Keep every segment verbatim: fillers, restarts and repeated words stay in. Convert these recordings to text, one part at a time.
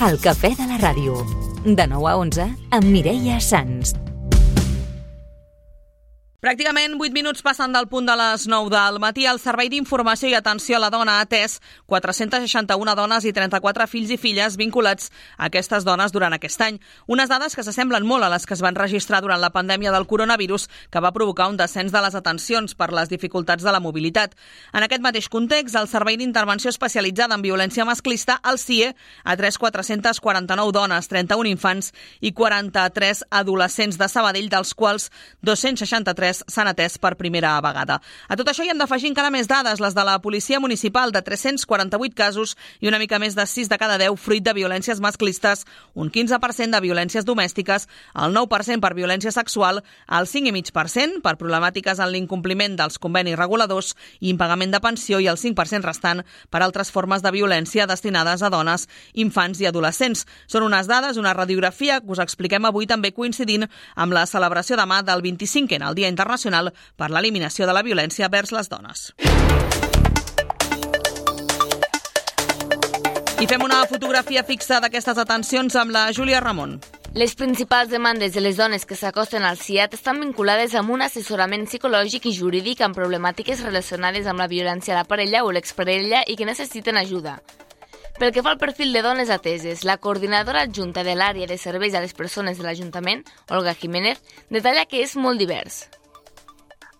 El cafè de la ràdio. De nou a onze, amb Mireia Sans. Pràcticament vuit minuts passen del punt de les nou del matí. El Servei d'Informació i Atenció a la Dona ha atès quatre-centes seixanta-una dones i trenta-quatre fills i filles vinculats a aquestes dones durant aquest any. Unes dades que s'assemblen molt a les que es van registrar durant la pandèmia del coronavirus, que va provocar un descens de les atencions per les dificultats de la mobilitat. En aquest mateix context, el Servei d'Intervenció Especialitzada en Violència Masclista, el C I E, ha atès quatre-centes quaranta-nou dones, trenta-un infants i quaranta-tres adolescents de Sabadell, dels quals dos-cents seixanta-tres s'han atès per primera vegada. A tot això hi hem d'afegir encara més dades, les de la Policia Municipal, de tres-cents quaranta-vuit casos i una mica més de sis de cada deu fruit de violències masclistes, un quinze per cent de violències domèstiques, el nou per cent per violència sexual, el cinc coma cinc per cent per problemàtiques en l'incompliment dels convenis reguladors i impagament de pensió i el cinc per cent restant per altres formes de violència destinades a dones, infants i adolescents. Són unes dades, una radiografia que us expliquem avui també coincidint amb la celebració demà del vint-i-cinquè, el Dia Internacional per l'Eliminació de la Violència vers les Dones. I fem una fotografia fixa d'aquestes atencions amb la Júlia Ramon. Les principals demandes de les dones que s'acosten al C I A T estan vinculades amb un assessorament psicològic i jurídic amb problemàtiques relacionades amb la violència a la parella o l'exparella i que necessiten ajuda. Pel que fa al perfil de dones ateses, la coordinadora adjunta de l'àrea de serveis a les persones de l'Ajuntament, Olga Jiménez, detalla que és molt divers.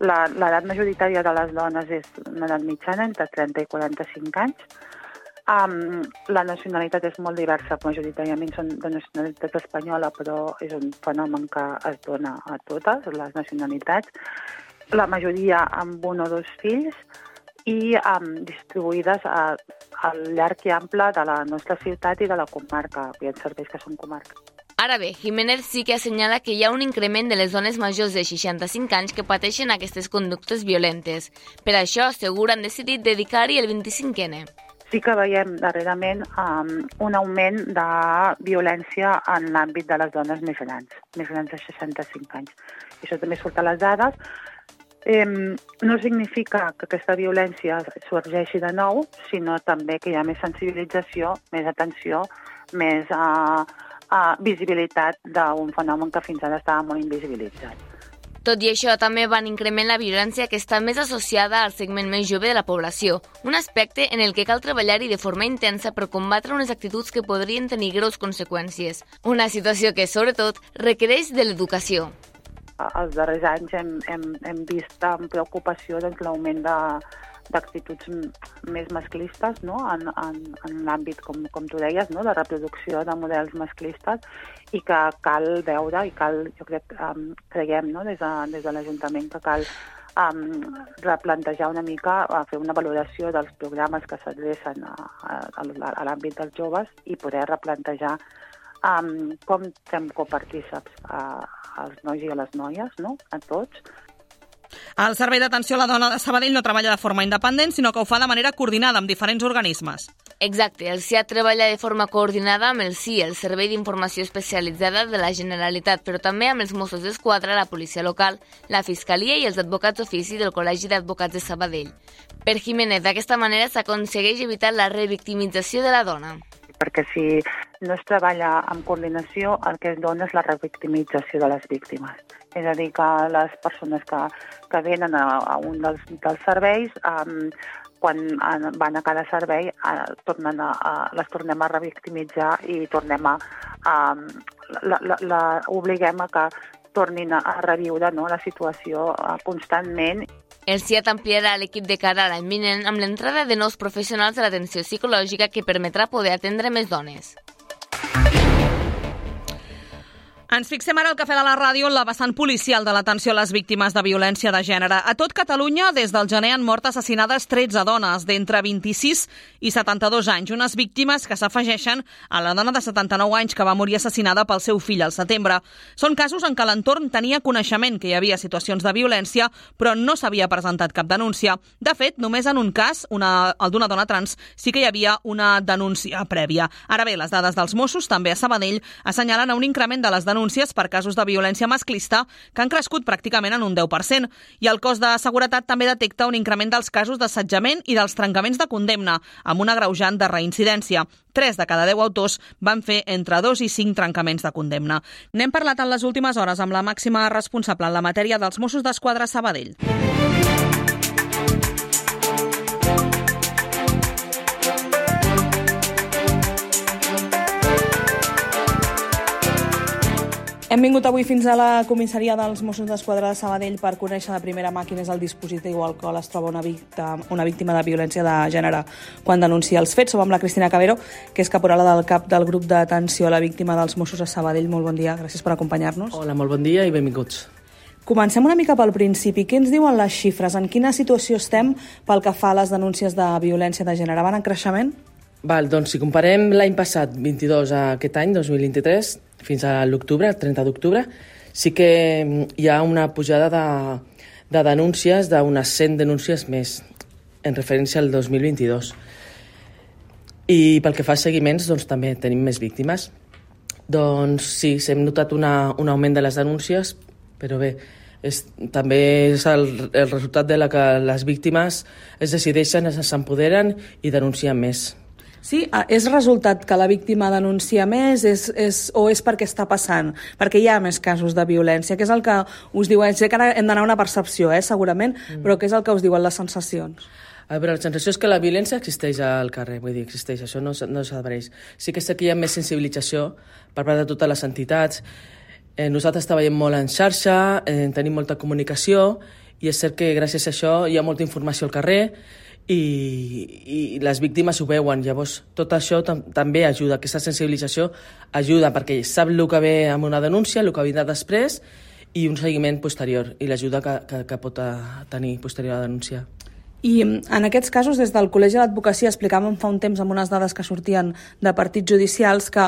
L'edat majoritària de les dones és una edat mitjana, entre trenta i quaranta-cinc anys. Um, la nacionalitat és molt diversa, majoritàriament són de nacionalitat espanyola, però és un fenomen que es dona a totes les nacionalitats. La majoria amb un o dos fills i um, distribuïdes a, al llarg i ample de la nostra ciutat i de la comarca. Hi ha serveis que són comarques. Ara bé, Jiménez sí que assenyala que hi ha un increment de les dones majors de seixanta-cinc anys que pateixen aquestes conductes violentes. Per això, assegura, han decidit dedicar-hi el vint-i-cinquè ene. Sí que veiem darrerament um, un augment de violència en l'àmbit de les dones més grans, més grans de seixanta-cinc anys. I això també surt a les dades. Eh, no significa que aquesta violència sorgeixi de nou, sinó també que hi ha més sensibilització, més atenció, més uh, uh, visibilitat d'un fenomen que fins ara estava molt invisibilitzat. Tot i això, també van increment la violència que està més associada al segment més jove de la població, un aspecte en el que cal treballar-hi de forma intensa per combatre unes actituds que podrien tenir greus conseqüències. Una situació que, sobretot, requereix de l'educació. Els darrers anys hem, hem, hem vist amb preocupació doncs, l'augment de, d'actituds més masclistes, no? en, en, en l'àmbit, com, com tu deies, no? de reproducció de models masclistes, i que cal veure, i cal, jo crec, um, creiem no? des, de, des de l'Ajuntament que cal um, replantejar una mica, a fer una valoració dels programes que s'adrecen a, a, a l'àmbit dels joves i poder replantejar um, com fem copartíceps a, als nois i a les noies, no? a tots. El Servei d'Atenció a la Dona de Sabadell no treballa de forma independent, sinó que ho fa de manera coordinada amb diferents organismes. Exacte, el C I A T treballa de forma coordinada amb el C I E, el Servei d'Informació Especialitzada de la Generalitat, però també amb els Mossos d'Esquadra, la policia local, la Fiscalia i els advocats ofici del Col·legi d'Advocats de Sabadell. Per Jiménez, d'aquesta manera s'aconsegueix evitar la revictimització de la dona. Perquè si no es treballa en coordinació, el que es dona és la revictimització de les víctimes. És a dir, que les persones que, que venen a, a un dels, dels serveis, um, quan van a cada servei, uh, tornen a, a, les tornem a revictimitzar i tornem a, a la, la, la, obliguem a que tornin a, a reviure no, la situació uh, constantment. El C I A T ampliarà l'equip de cara a l'any vinent amb l'entrada de nous professionals de l'atenció psicològica que permetrà poder atendre més dones. Ens fixem ara al Cafè de la Ràdio en la vessant policial de l'atenció a les víctimes de violència de gènere. A tot Catalunya, des del gener han mort assassinades tretze dones d'entre vint-i-sis i setanta-dos anys, unes víctimes que s'afegeixen a la dona de setanta-nou anys que va morir assassinada pel seu fill al setembre. Són casos en què l'entorn tenia coneixement que hi havia situacions de violència, però no s'havia presentat cap denúncia. De fet, només en un cas, una, el d'una dona trans, sí que hi havia una denúncia prèvia. Ara bé, les dades dels Mossos, també a Sabadell, assenyalen un increment de les denúncies denúncies per casos de violència masclista, que han crescut pràcticament en un deu per cent. I el cos de seguretat també detecta un increment dels casos d'assetjament i dels trencaments de condemna, amb un agreujant de reincidència. Tres de cada deu autors van fer entre dos i cinc trencaments de condemna. N'hem parlat en les últimes hores amb la màxima responsable en la matèria dels Mossos d'Esquadra a Sabadell. Hem vingut avui fins a la comissaria dels Mossos d'Esquadra de Sabadell per conèixer de primera mà quin és el dispositiu al qual es troba una víctima, una víctima de violència de gènere quan denuncia els fets. Som amb la Cristina Cabero, que és caporala del cap del grup d'atenció a la víctima dels Mossos a Sabadell. Molt bon dia, gràcies per acompanyar-nos. Hola, molt bon dia i benvinguts. Comencem una mica pel principi. Què ens diuen les xifres? En quina situació estem pel que fa a les denúncies de violència de gènere? Van en creixement? Val, doncs si comparem l'any passat, vint-i-dos, a aquest any, dos mil vint-i-tres, fins a l'octubre, el trenta d'octubre, sí que hi ha una pujada de, de denúncies, d'unes cent denúncies més, en referència al dos mil vint-i-dos. I pel que fa a seguiments, doncs també tenim més víctimes. Doncs sí, s'hem notat una, un augment de les denúncies, però bé, és, també és el, el resultat de la que les víctimes es decideixen, s'empoderen i denuncien més. Sí, és resultat que la víctima denuncia més és, és, o és perquè està passant? Perquè hi ha més casos de violència, que és el que us diuen, sé que ara hem d'anar a una percepció, eh, segurament, mm. però què és el que us diuen les sensacions? A veure, la sensació és que la violència existeix al carrer, vull dir, existeix, això no, no s'advereix. Sí que sé que hi ha més sensibilització per part de totes les entitats. Eh, nosaltres treballem molt en xarxa, eh, tenim molta comunicació, i és cert que gràcies a això hi ha molta informació al carrer, I, i les víctimes ho veuen. Llavors tot això tam també ajuda, aquesta sensibilització ajuda perquè sap el que ve amb una denúncia, el que vindrà després i un seguiment posterior i l'ajuda que, que, que pot tenir posterior a la denúncia. I en aquests casos, des del Col·legi de l'Advocacia, explicàvem fa un temps amb unes dades que sortien de partits judicials que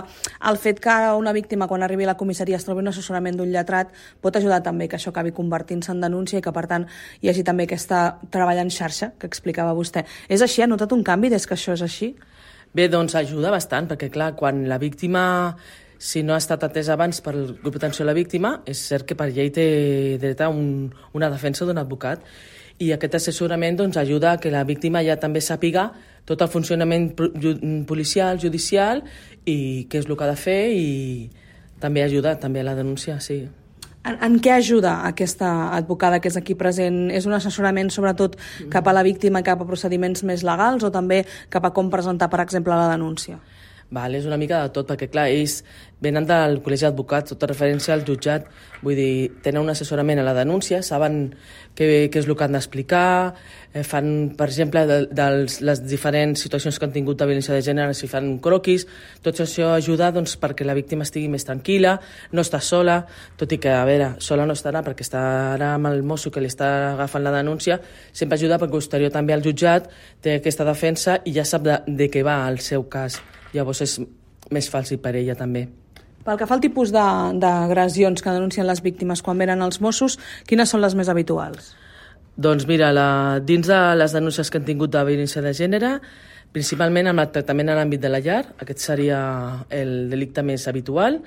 el fet que una víctima, quan arribi a la comissaria, es trobi un assessorament d'un lletrat, pot ajudar també que això acabi convertint-se en denúncia i que, per tant, hi hagi també aquesta treball en xarxa que explicava vostè. És així? Ha notat un canvi des que això és així? Bé, doncs ajuda bastant, perquè clar, quan la víctima, si no ha estat atesa abans per el grup d'atenció a la víctima, és cert que per llei té dret a un, una defensa d'un advocat. I aquest assessorament doncs, ajuda a que la víctima ja també sàpiga tot el funcionament policial, judicial i què és el que ha de fer i també ajuda també a la denúncia, sí. En, en què ajuda aquesta advocada que és aquí present? És un assessorament sobretot cap a la víctima, cap a procediments més legals o també cap a com presentar, per exemple, la denúncia? Val, és una mica de tot, perquè clar, ells venen del Col·legi d'Advocats, tota referència al jutjat, vull dir, tenen un assessorament a la denúncia, saben què, què és el que han d'explicar, eh, fan, per exemple, de, de les diferents situacions que han tingut de violència de gènere, si fan un croquis, tot això ajuda doncs, perquè la víctima estigui més tranquil·la, no està sola, tot i que, a veure, sola no estarà perquè estarà amb el mosso que li està agafant la denúncia, sempre ajuda perquè posterior també al jutjat té aquesta defensa i ja sap de, de què va el seu cas. Llavors és més fàcil per ella també. Pel que fa al tipus d'agressions que denuncien les víctimes quan venen als Mossos, quines són les més habituals? Doncs mira, la, dins de les denúncies que han tingut de violència de gènere, principalment amb el tractament a l'àmbit de la llar, aquest seria el delicte més habitual.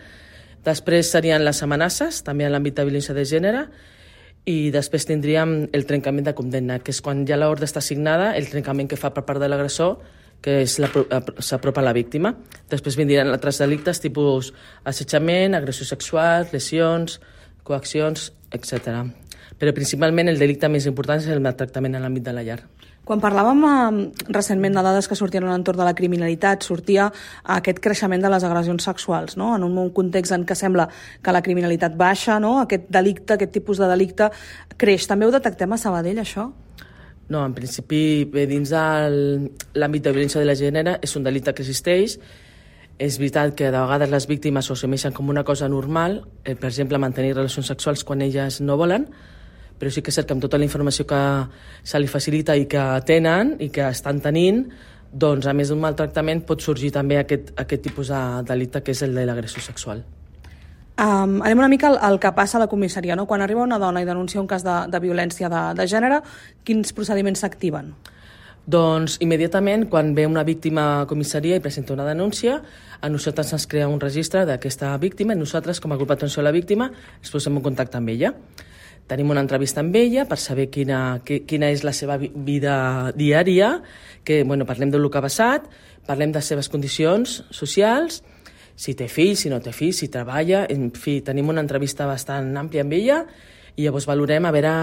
Després serien les amenaces, també en l'àmbit de violència de gènere, i després tindríem el trencament de condemna, que és quan ja l'ordre està assignada, el trencament que fa per part de l'agressor, que s'apropa a la víctima. Després vindran altres delictes, tipus assetjament, agressió sexual, lesions, coaccions, etcètera. Però principalment el delicte més important és el maltractament en l'àmbit de la llar. Quan parlàvem eh, recentment de dades que sortien a l'entorn de la criminalitat, sortia aquest creixement de les agressions sexuals, no? En un context en què sembla que la criminalitat baixa, no? Aquest delicte, aquest tipus de delicte creix. També ho detectem a Sabadell, això? No, en principi, bé, dins de l'àmbit de violència de la gènere és un delicte que existeix. És veritat que de vegades les víctimes ho assumeixen com una cosa normal, eh, per exemple, mantenir relacions sexuals quan elles no volen, però sí que és cert que amb tota la informació que se li facilita i que tenen i que estan tenint, doncs a més d'un maltractament pot sorgir també aquest, aquest tipus de delicte que és el de l'agressió sexual. Um, anem una mica al, al que passa a la comissaria, no? Quan arriba una dona i denuncia un cas de, de violència de, de gènere, quins procediments s'activen? Doncs immediatament, quan ve una víctima a comissaria i presenta una denúncia, a nosaltres ens crea un registre d'aquesta víctima i nosaltres, com a grup d'atenció a la víctima, ens posem en contacte amb ella. Tenim una entrevista amb ella per saber quina, quina és la seva vida diària, que bueno, parlem del que ha passat, parlem de les seves condicions socials, si té fills, si no té fills, si treballa, en fi, tenim una entrevista bastant àmplia amb ella i llavors valorem a veure,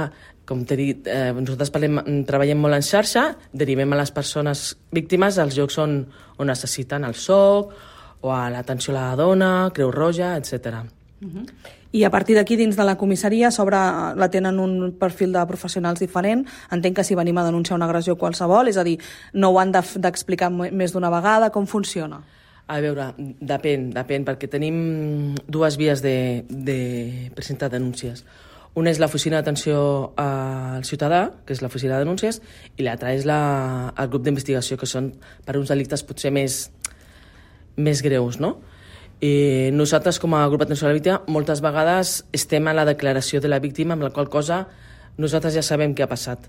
com t'he dit, eh, nosaltres parlem, treballem molt en xarxa, derivem a les persones víctimes als llocs on, on necessiten el S O C o a l'atenció a la dona, Creu Roja, etcètera. Uh-huh. I a partir d'aquí, dins de la comissaria, sobre la tenen un perfil de professionals diferent. Entenc que si venim a denunciar una agressió qualsevol, és a dir, no ho han d'explicar més d'una vegada, com funciona? A veure, depèn, depèn, perquè tenim dues vies de, de presentar denúncies. Una és l'oficina d'atenció al ciutadà, que és l'oficina de denúncies, i l'altra és la, el grup d'investigació, que són per uns delictes potser més, més greus, no? I nosaltres, com a grup d'atenció a la víctima, moltes vegades estem a la declaració de la víctima, amb la qual cosa nosaltres ja sabem què ha passat.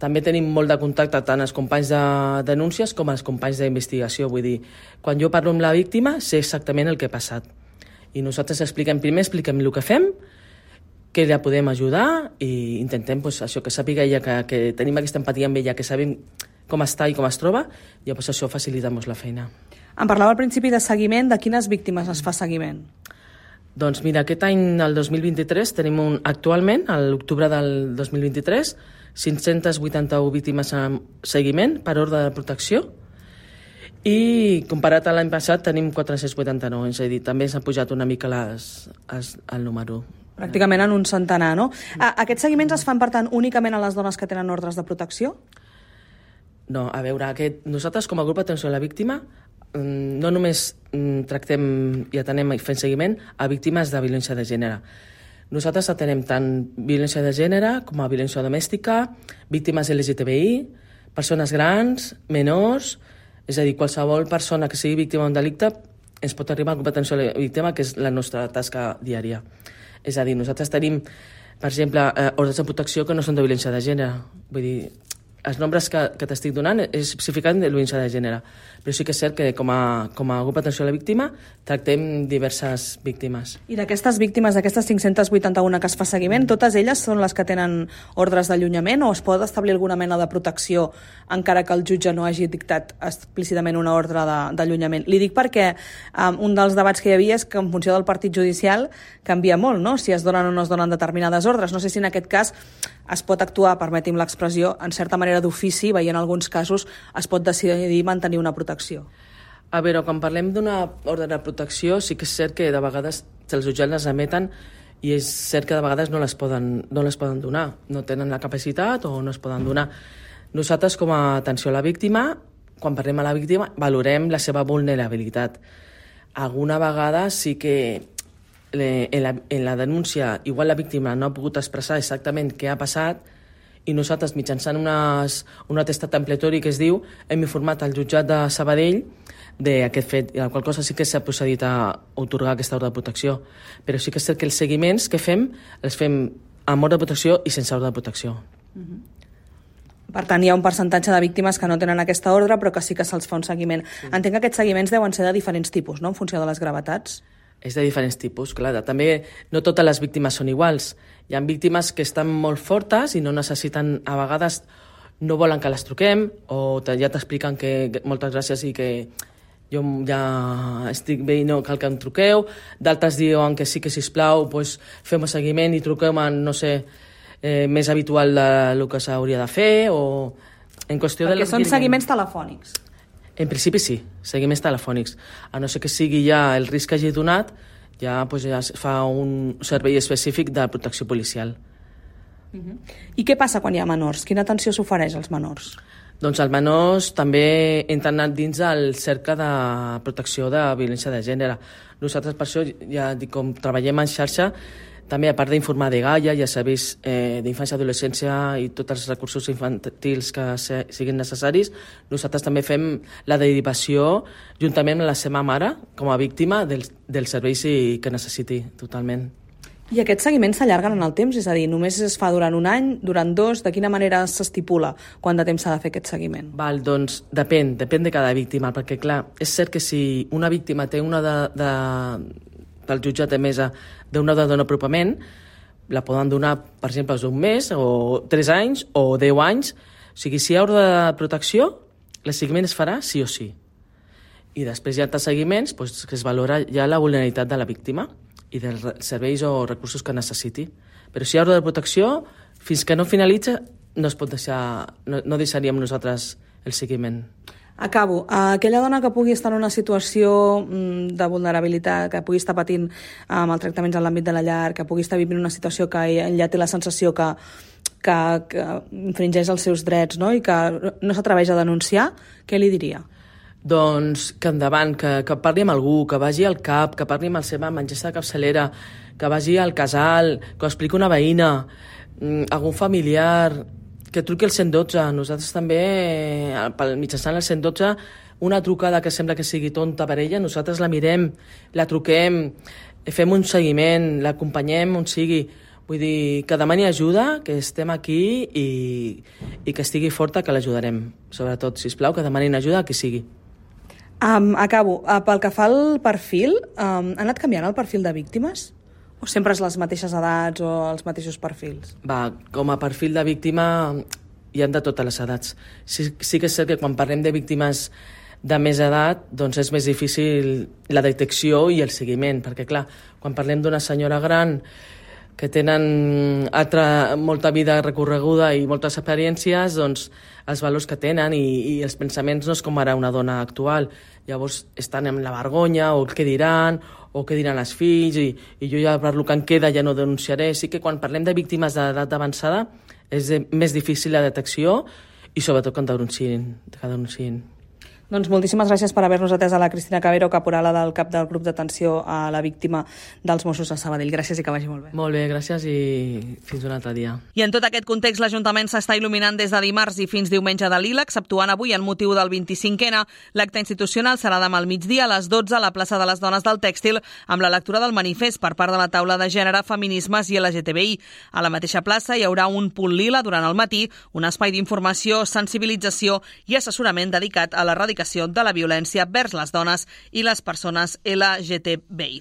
També tenim molt de contacte tant els companys de denúncies com els companys d'investigació. Vull dir, quan jo parlo amb la víctima, sé exactament el que ha passat. I nosaltres expliquem primer, expliquem el que fem, que la podem ajudar i intentem pues, això que sàpiga ella, que, que tenim aquesta empatia amb ella, que sabem com està i com es troba, i llavors això facilita molt la feina. Em parlava al principi de seguiment. De quines víctimes es fa seguiment? Doncs mira, aquest any, el dos mil vint-i-tres, tenim un, actualment, a l'octubre del dos mil vint-i-tres, cinc-centes vuitanta-u víctimes en seguiment per ordre de protecció i comparat a l'any passat tenim quatre-cents vuitanta-nou, és a dir, també s'ha pujat una mica les, les, el número. Pràcticament en un centenar, no? Aquests seguiments es fan, per tant, únicament a les dones que tenen ordres de protecció? No, a veure, aquest, nosaltres com a grup d'atenció a la víctima no només tractem i atenem fent seguiment a víctimes de violència de gènere. Nosaltres atenem tant violència de gènere com a violència domèstica, víctimes L G T B I, persones grans, menors, és a dir, qualsevol persona que sigui víctima d'un delicte ens pot arribar al grup d'atenció a la víctima, que és la nostra tasca diària. És a dir, nosaltres tenim, per exemple, ordres de protecció que no són de violència de gènere. Vull dir, els nombres que, que t'estic donant és especificant de violència de gènere, però sí que és cert que com a, com a grup d'atenció a la víctima tractem diverses víctimes. I d'aquestes víctimes, d'aquestes cinc-centes vuitanta-u que es fa seguiment, totes elles són les que tenen ordres d'allunyament o es pot establir alguna mena de protecció encara que el jutge no hagi dictat explícitament una ordre d'allunyament? Li dic perquè um, un dels debats que hi havia és que en funció del partit judicial canvia molt, no?, si es donen o no es donen determinades ordres. No sé si en aquest cas es pot actuar, permeti'm l'expressió, en certa manera d'ofici, veient alguns casos es pot decidir mantenir una protecció. A veure, quan parlem d'una ordre de protecció, sí que és cert que de vegades els jutjats les emeten i és cert que de vegades no les poden, no les poden donar, no tenen la capacitat o no es poden donar. Nosaltres, com a atenció a la víctima, quan parlem a la víctima, valorem la seva vulnerabilitat. Alguna vegada sí que en la, en la denúncia igual la víctima no ha pogut expressar exactament què ha passat i nosaltres mitjançant unes, un atestat ampliatori que es diu hem informat al jutjat de Sabadell d'aquest fet, i la qual cosa sí que s'ha procedit a atorgar aquesta ordre de protecció, però sí que és cert que els seguiments que fem els fem amb ordre de protecció i sense ordre de protecció. Uh-huh. Per tant, hi ha un percentatge de víctimes que no tenen aquesta ordre però que sí que se'ls fa un seguiment. Sí. Entenc que aquests seguiments deuen ser de diferents tipus, no?, en funció de les gravetats. És de diferents tipus, clar. També no totes les víctimes són iguals. Hi ha víctimes que estan molt fortes i no necessiten, a vegades no volen que les truquem o ja t'expliquen que moltes gràcies i que jo ja estic bé i no cal que em truqueu. D'altres diuen que sí que, sisplau, doncs fem un seguiment i truquem en, no sé, eh, més habitual del que s'hauria de fer o en qüestió Perquè de... són seguiments telefònics. En principi sí, seguiments telefònics. A no ser que sigui ja el risc que hagi donat, ja, pues, ja es fa un servei específic de protecció policial. Uh-huh. I què passa quan hi ha menors? Quina atenció s'ofereix als menors? Doncs els menors també entren dins el cercle de protecció de violència de gènere. Nosaltres per això, ja dic, com treballem en xarxa, també a part d'informar de Gaia, ja serveis eh, d'infància i adolescència i tots els recursos infantils que se, siguin necessaris, nosaltres també fem la derivació juntament amb la seva mare com a víctima dels, dels serveis que necessiti totalment. I aquests seguiments s'allarguen en el temps? És a dir, només es fa durant un any, durant dos? De quina manera s'estipula quant de temps s'ha de fer aquest seguiment? Val, doncs depèn, depèn de cada víctima, perquè clar, és cert que si una víctima té una de, de, del jutjat de mesa d'una de donar apropament, la poden donar, per exemple, un mes, o tres anys, o deu anys. O sigui, si hi ha ordre de protecció, el seguiment es farà sí o sí. I després hi ha altres seguiments doncs, que es valora ja la vulnerabilitat de la víctima i dels serveis o recursos que necessiti. Però si hi ha ordre de protecció, fins que no finalitza, no es pot deixar, no, no deixaríem nosaltres el seguiment. Acabo. Aquella dona que pugui estar en una situació de vulnerabilitat, que pugui estar patint maltractaments en l'àmbit de la llar, que pugui estar vivint una situació que ja té la sensació que, que, que infringeix els seus drets, no? I que no s'atreveix a denunciar, què li diria? Doncs que endavant, que, que parli amb algú, que vagi al CAP, que parli amb la seva metgessa de capçalera, que vagi al casal, que ho expliqui una veïna, algun familiar, que truqui el cent dotze. Nosaltres també, mitjançant el cent dotze, una trucada que sembla que sigui tonta per ella, nosaltres la mirem, la truquem, fem un seguiment, l'acompanyem on sigui. Vull dir, que demani ajuda, que estem aquí i, i que estigui forta, que l'ajudarem. Sobretot, sisplau, que demanin ajuda a qui sigui. Um, acabo. Uh, pel que fa al perfil, um, ha anat canviant el perfil de víctimes? O sempre és les mateixes edats o els mateixos perfils? Va, com a perfil de víctima hi ha de totes les edats. Sí, sí que és cert que quan parlem de víctimes de més edat, doncs és més difícil la detecció i el seguiment, perquè clar, quan parlem d'una senyora gran que tenen altra, molta vida recorreguda i moltes experiències, doncs els valors que tenen i, i els pensaments no és com ara una dona actual. Llavors estan amb la vergonya, o què diran, o què diran els fills, i, i jo ja per lo que em queda ja no denunciaré. Sí que quan parlem de víctimes d'edat avançada és de, més difícil la detecció i sobretot que denunciïn, que denunciïn. Doncs moltíssimes gràcies per haver-nos atès a la Cristina Cabero, caporala del cap del grup d'atenció a la víctima dels Mossos de Sabadell. Gràcies i que vagi molt bé. Molt bé, gràcies i fins un altre dia. I en tot aquest context, l'Ajuntament s'està il·luminant des de dimarts i fins diumenge de Lila, exceptuant avui en motiu del vint-i-cinquè. L'acte institucional serà demà al migdia a les dotze a la plaça de les Dones del Tèxtil amb la lectura del manifest per part de la taula de gènere, feminismes i L G T B I. A la mateixa plaça hi haurà un punt lila durant el matí, un espai d'informació, sensibilització i assessorament dedicat a l'erradicació de la violència vers les dones i les persones L G T B I.